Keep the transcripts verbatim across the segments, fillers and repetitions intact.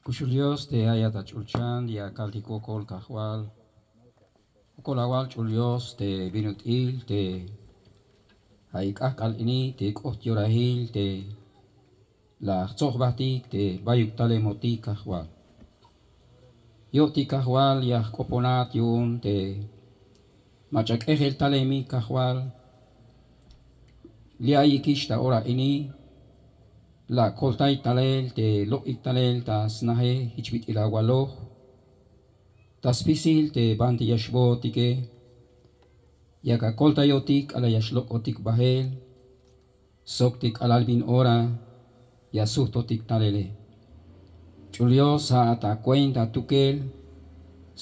Kuxul dios te ayat ach'ulchan ya kaltik wokol kajwal. Wokol awal ch'ul dios te bin ut'il te ay k'ajk'al ini te k'oht yorahil te la jtzojbajtik te bayuk talemotik kajwal. Yo'tik kajwal ya jk'oponat yu'un te mach'a k'ejel talemik kajwal. Li' ayikix ta ora ini la koltay talel te lok'ik talel ta snaje jich bit'il awaloj ta spisil te banti ya xbootike. Yak akoltayotik k'alal ya xlok'otik bajel sok te k'alal bin ora ya sujtotik talele. Ch'ul dios ja'at akuenta atukel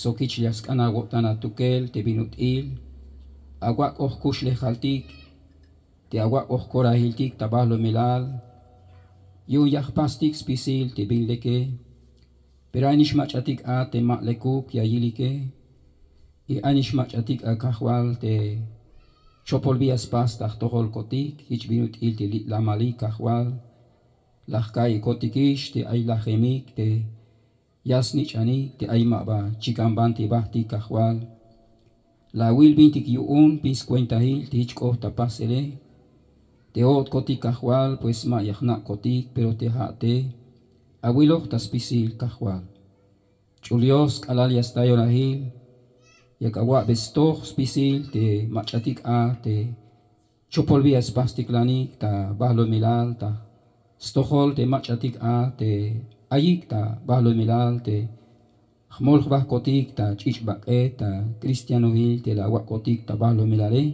sok jich ya sk'an awo'tan atukel te bin ut'il awak'oj kuxlejaltik te awak'oj korahiltik ta bajlumelal. Yu'un ya jpastik spisil te bin leke. Pero ay nix mach'atik a te ma lekuk ya yilike. Y ay nix mach'atik a kajwal te chopol bi ya spas ta jtojolkotik jich bin ut'il te li' lamalik kajwal. La jka'ikotikix te ay lajemik te ya snich'anik te ay ma ba chikan banti bajtik kajwal. La awil bintik yu'un bin skuentahil te jich k'oht ta pasele. Te o'tkotik kajwal pues ma ya jna'kotik pero te ja' te awiloj ta spisil kajwal. Ch'ul dios k'alal ya sta yorahil yak awa'be stoj spisil te mach'atik a te chopol bi ya spastiklanik ta bajlumelal ta stojol te mach'atik a te ayik ta bajlumelal te jmol jbahkotik ta ch'ich' bak'et ta kristianohil te la awak'otik ta bajlumelale.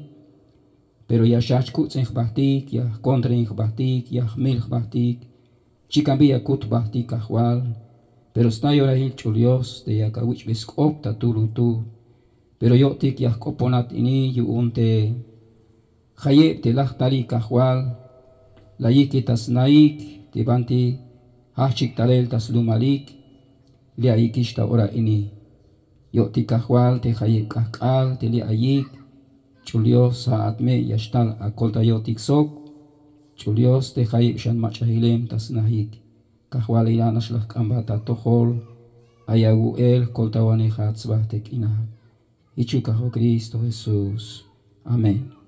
Pero ya xjajch kuts'in jbahtik ya jkontren jbahtik ya jmil jbahtik chikan bi ya kut jbahtik kajwal. Pero sta yorahil ch'ul dios te yak awich'be sk'op ta tulutul. Pero yo'tik ya jk'oponat ini yu'un te jayeb te laj talik kajwal la yijk'e ta snahik te banti jajchik talel ta slumalik. Li' ayikix ta ora ini yo'tik kajwal te jayeb k'ajk'al te li' ayik. Ch'ul dios ja'at me ya xtal akoltayotik sok ch'ul dios te jayeb xan mach'a jilem ta snahik. Kajwal ila' nax la jk'ambat atojol ay awu'el jkoltawanejat sba te k'inal. Jichuk kajwal kristo jesús. Amén.